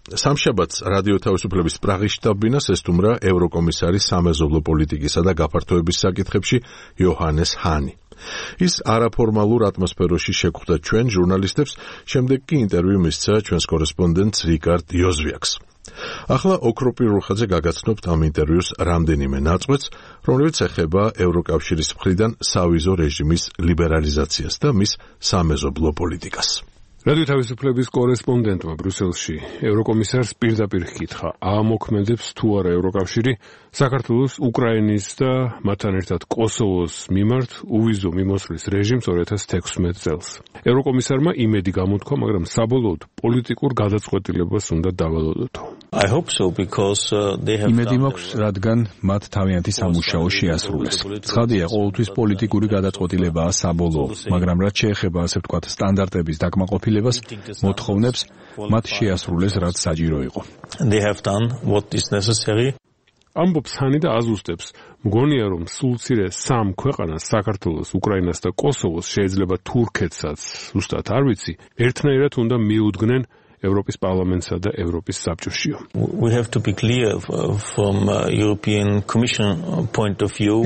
სამშაბათს რადიო თავისუფლების პრაღის შტაბ-ბინას ესტუმრა ევროკომისარი სამეზობლო პოლიტიკისა და გაფართოების საკითხებში იოჰანეს ჰანი. ის არაფორმალურ ატმოსფეროში შეხვდა ჩვენ ჟურნალისტებს, შემდეგ კი ინტერვიუ მისცა ჩვენს კორესპონდენტს რიკარდ იოზვიაკს. ახლა ოქროპირ რუხაძე გაგაცნობთ ამ ინტერვიუს რამდენიმე ნაწყვეტს, რომელიც ეხება ევროკავშირის მხრიდან სავიზო რეჟიმის ლიბერალიზაციას და მის სამეზობლო პოლიტიკას. რადიო თავისუფლების კორესპონდენტმა ბრიუსელში ევროკომისარს პირდაპირ ჰკითხა, ამოქმედებს თუ არა ევროკავშირი საქართველოს, უკრაინის და მათთან ერთად კოსოვოს მიმართ უვიზო მიმოსვლის რეჟიმს 2016 წელს. ევროკომისარმა იმედი გამოთქვა, მაგრამ საბოლოოდ პოლიტიკურ გადაწყვეტილებას უნდა დავალოდოთ. იმედი მაქვს, რადგან მათ თავიანთი სამუშაო შეასრულეს. ცხადია, ყოველთვის პოლიტიკური გადაწყვეტილებაა საბოლოო, მაგრამ რაც შეეხება, ასე ვთქვათ, სტანდარტების დაკმაყოფილებას, მოთხოვნებს, მათ შეასრულეს, რაც საჭირო იყო. ამბობს ჰანი და აზუსტებს, მგონია, რომ სულ მცირე სამ ქვეყანას, საქართველოს, უკრაინას და კოსოვოს, შეიძლება თურქეთსაც, ზუსტად არ ვიცი, ერთნაირად უნდა მიუდგნენ ევროპის პარლამენტსა და ევროპის საბჭოშიო.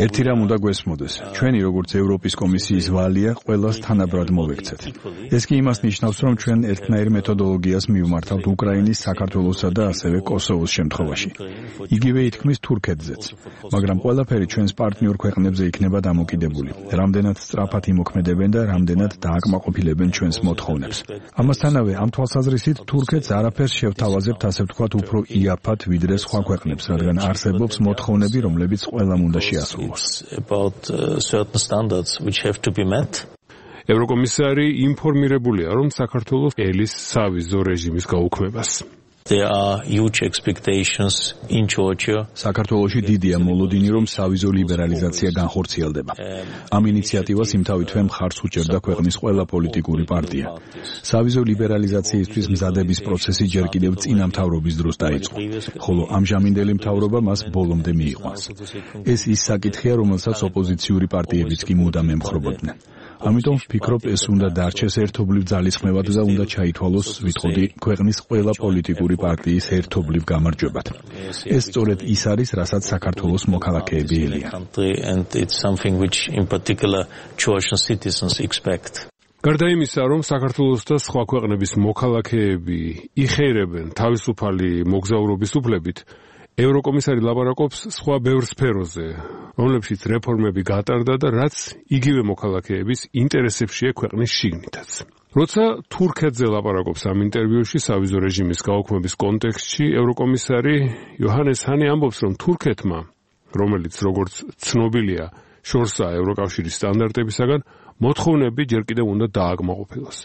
ერთი რამ უნდა გვესმოდეს. ჩვენი როგორც ევროპის კომისიის ვალია ყველას თანაბრად მოვექცეთ. ეს კი იმას ნიშნავს, რომ ჩვენ ერთნაირ მეთოდოლოგიას მივმართავთ უკრაინის, საქართველოსა და ასევე კოსოვოს შემთხვევაში. იგივე ითქმის თურქეთზეც. მაგრამ ყველაფერი ჩვენს პარტნიორ ქვეყნებზე იქნება დამოკიდებული. რამდენად სწრაფად იმოქმედებენ და რამდენად დააკმაყოფილებენ ჩვენს მოთხოვნებს. ამასთანავე ამ თვალსაზრისით თურქეთს არაფერს შევთავაზებთ, ასე ვთქვათ, უფრო იაფად ვიდრე სხვა ქვეყნებს, რადგან არსებობს მოთხოვნები, რომლებიც ყველამ უნდა შეასრულოს. ევროკომისარი ინფორმირებულია, რომ საქართველოს ელის სავიზო რეჟიმის გაუქმებას. საქართველოში დიდია მოლოდინი, რომ სავიზო ლიბერალიზაცია განხორციელდება. ამ ინიციატივას იმთავითვე მხარს უჭერდა ქვეყნის ყველა პოლიტიკური პარტია. სავიზო ლიბერალიზაციისთვის მზადების პროცესი ჯერ კიდევ წინა მთავრობის დროს დაიწყო, ხოლო ამჟამინდელი მთავრობა მას ბოლომდე მიიყვანს. ეს ის საკითხია, რომელსაც ოპოზიციური პარტიებიც კი მუდამ ემხრობოდნენ. ამიტომ ვფიქრობ, ეს უნდა დარჩეს ერთობლივ ძალისხმევად და უნდა ჩაითვალოს, ვიტყოდი, ქვეყნის ყველა პოლიტიკური პარტიის ერთობლივ გამარჯვებად. ეს სწორედ ის არის, რასაც საქართველოს მოქალაქეები ელიან. გარდა იმისა, რომ საქართველოს და სხვა ქვეყნების მოქალაქეები იხეირებენ თავისუფალი მოგზაურობის უფლებით, ევროკომისარი ლაპარაკობს სხვა ბევრ სფეროზე, რომლებშიც რეფორმები გატარდა და რაც იგივე მოქალაქეების ინტერესებშია ქვეყნის შიგნითაც. როცა თურქეთზე ლაპარაკობს ამ ინტერვიუში სავიზო რეჟიმის გაუქმების კონტექსტში, ევროკომისარი იოჰანეს ჰანი ამბობს, რომ თურქეთმა, რომელიც როგორც ცნობილია, შორსაა ევროკავშირის სტანდარტებისაგან, მოთხოვნები ჯერ კიდევ უნდა დააკმაყოფილოს.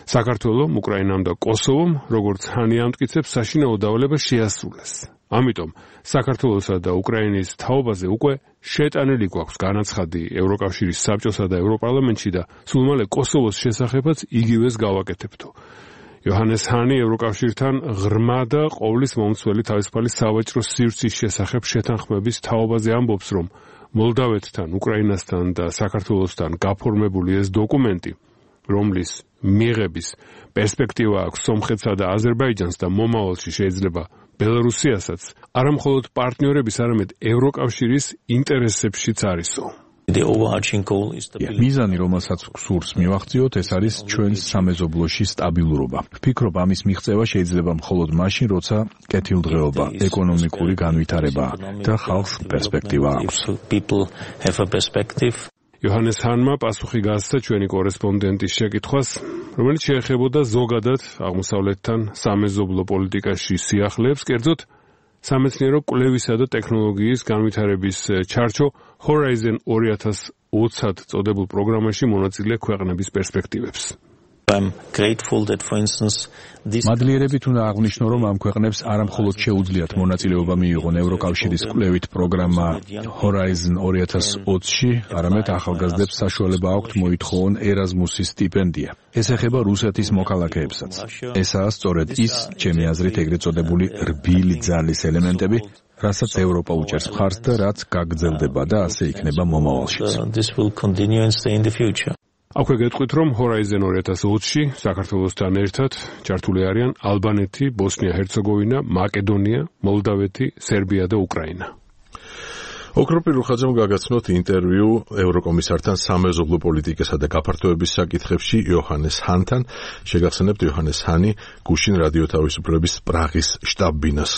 საქართველომ, უკრაინამ და კოსოვომ, როგორც ჰანი ამტკიცებს, საშინაო დავალება შეასრულეს. ამიტომ საქართველოსა და უკრაინის თაობაზე უკვე შეტანილი გვაქვს განაცხადი ევროკავშირის საბჭოსა და ევროპარლამენტში და სულ მალე კოსოვოს შესახებაც იგივეს გავაკეთებთო. იოჰანეს ჰანი ევროკავშირთან ღრმა და ყოვლის მომცველი თავისუფალი სავაჭრო სივრცის შესახებ შეთანხმების თაობაზე ამბობს, რომ მოლდავეთთან, უკრაინასთან და საქართველოსთან გაფორმებული ეს დოკუმენტი, რომლის მიღების პერსპექტივა აქვს სომხეთსა და აზერბაიჯანს და მომავალში შეიძლება ბელარუსიასაც, არა მხოლოდ პარტნიორების, არამედ ევროკავშირის ინტერესებშიც არისო. მიზანი, რომელსაც გსურს მივახციოთ, ეს არის ჩვენს სამეზობლოში სტაბილურობა. ვფიქრობ, ამის მიღწევა შეიძლება მხოლოდ მაშინ, როცა კეთილდღეობა, ეკონომიკური განვითარება და ხალხს პერსპექტივა აქვს. იოჰანეს ჰანმა პასუხი გასცა ჩვენი კორესპონდენტის შეკითხვას, რომელიც შეეხებოდა ზოგადად აღმოსავლეთთან სამეზობლო პოლიტიკაში სიახლეებს, კერძოდ სამეცნიერო კვლევისა და ტექნოლოგიის განვითარების ჩარჩო Horizon 2020 წოდებულ პროგრამაში მონაწილე ქვეყნების პერსპექტივებს. მადლიერებით უნდა აღვნიშნო, რომ ამ ქვეყნებს არამხოლოდ შეუძლიათ მონაწილეობა მიიღონ ევროკავშირის კვლევით პროგრამა Horizon 2020-ში, არამედ ახალგაზრდებს საშუალება აქვთ მოითხოვონ ერაზმუსის სტიპენდია. ეს ეხება რუსეთის მოქალაქეებსაც. ესაა სწორედ ის, ჩემი აზრით, ეგრეთ წოდებული რბილი ძალის ელემენტები, რასაც ევროპა უჭერს მხარს და რაც გაგრძელდება და ასე იქნება მომავალშიც. აქვე გეტყვით, რომ Horizon 2020-ში საქართველოსთან ერთად ჩართული არიან ალბანეთი, ბოსნია-ჰერცეგოვინა, მაკედონია, მოლდავეთი, სერბია და უკრაინა. ოქროპირ რუხაძემ გაგაცნოთ ინტერვიუ ევროკომისართან სამეზობლო პოლიტიკასა და გაფართოების საკითხებში იოჰანეს ჰანთან. შეგახსენებთ, იოჰანეს ჰანი გუშინ რადიო თავისუფლების პრაღის შტაბ-ბინას